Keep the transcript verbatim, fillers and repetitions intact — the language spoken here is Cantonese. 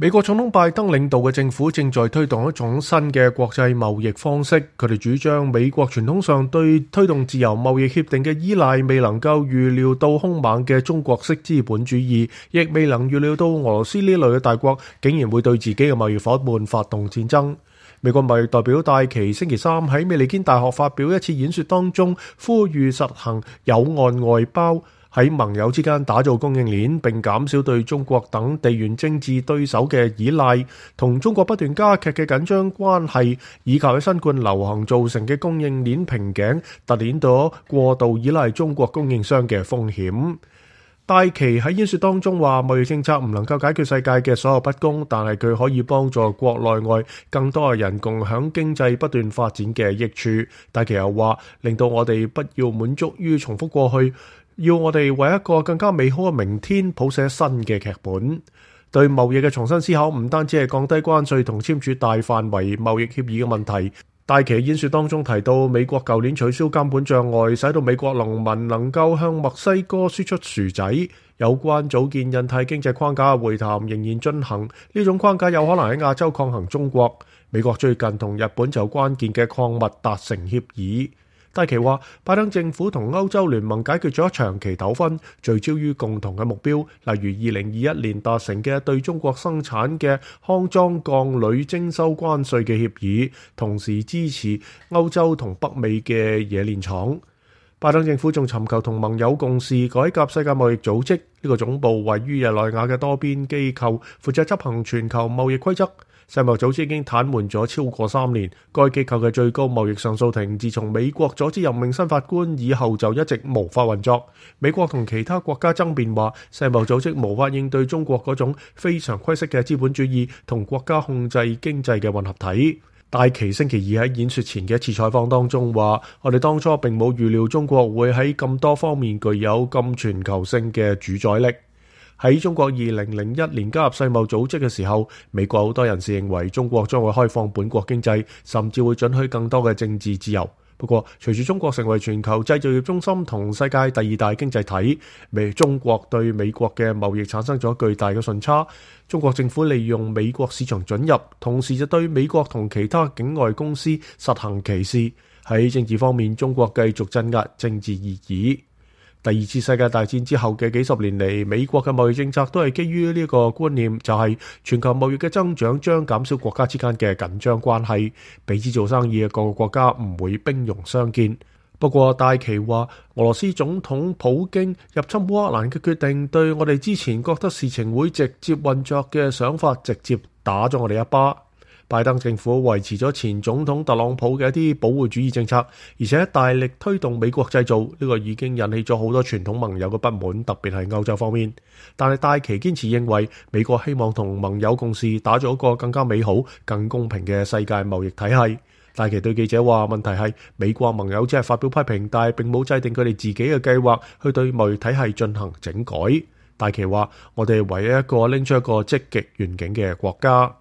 美國總統拜登領導嘅政府正在推動一種新嘅國際貿易方式，佢哋主張美國傳統上對推動自由貿易協定嘅依賴未能夠預料到兇猛嘅中國式資本主義，亦未能預料到俄羅斯呢類嘅大國竟然會對自己嘅貿易夥伴發動戰爭。美國貿易代表戴琪星期三喺美利堅大學發表一次演說當中，呼籲實行友岸外包，喺盟友之間打造供應鏈，並減少對中國等地緣政治對手嘅依賴，同中國不斷加劇嘅緊張關係，以及喺新冠流行造成嘅供應鏈瓶頸，凸顯到過度依賴中國供應商嘅風險。戴琪喺演說當中話，貿易政策唔能夠解決世界嘅所有不公，但係佢可以幫助國內外更多嘅人共享經濟不斷發展嘅益處。戴琪又話，令到我哋不要滿足於重複過去，要我哋為一個更加美好嘅明天譜寫新嘅劇本。對貿易嘅重新思考唔單止係降低關稅同簽署大範圍貿易協議嘅問題。戴琪演說當中提到，美國舊年取消監管障礙，使到美國農民能夠向墨西哥輸出薯仔。有關組建印太經濟框架嘅會談仍然進行，呢種框架有可能喺亞洲抗衡中國。美國最近同日本就關鍵嘅礦物達成協議。戴琪話，拜登政府同歐洲聯盟解決咗長期糾紛，聚焦於共同嘅目標，例如二零二一年達成嘅對中國生產嘅康莊鋼鋁徵收關稅嘅協議，同時支持歐洲同北美嘅冶煉廠。拜登政府仲尋求同盟友共事，改革世界貿易組織，呢個總部位於日內瓦嘅多邊機構，負責執行全球貿易規則。世貿組織已經癱瘓咗超過三年，該機構嘅最高貿易上訴庭自從美國阻止任命新法官以後就一直無法運作。美國同其他國家爭辯話，世貿組織無法應對中國嗰種非常規式嘅資本主義同國家控制經濟嘅混合體。戴琪星期二喺演說前嘅一次採訪當中話，我哋當初並冇預料中國會喺咁多方面具有咁全球性嘅主宰力。喺中國二零零一年加入世貿組織嘅時候，美國好多人士認為中國將會開放本國經濟，甚至會准許更多嘅政治自由。不過，隨住中國成為全球製造業中心同世界第二大經濟體，美中國對美國嘅貿易產生咗巨大嘅順差。中國政府利用美國市場准入，同時就對美國同其他境外公司實行歧視。喺政治方面，中國繼續鎮壓政治異議。第二次世界大戰之後嘅幾十年嚟，美國嘅貿易政策都係基於呢個觀念，就係全球貿易嘅增長將減少國家之間嘅緊張關係，彼此做生意嘅各個國家唔會兵戎相見。不過戴琪話，俄羅斯總統普京入侵烏克蘭嘅決定，對我哋之前覺得事情會直接運作嘅想法，直接打咗我哋一巴。拜登政府維持咗前總統特朗普嘅一啲保護主義政策，而且大力推動美國製造，呢個已經引起咗好多傳統盟友嘅不滿，特別係歐洲方面。但係戴琪堅持認為，美國希望同盟友共事，打造一個更加美好、更公平嘅世界貿易體系。戴琪對記者話，問題係美國盟友只係發表批評，但係並冇制定佢哋自己嘅計劃去對貿易體系進行整改。戴琪話，我哋唯一一個拎出一個積極願景嘅國家。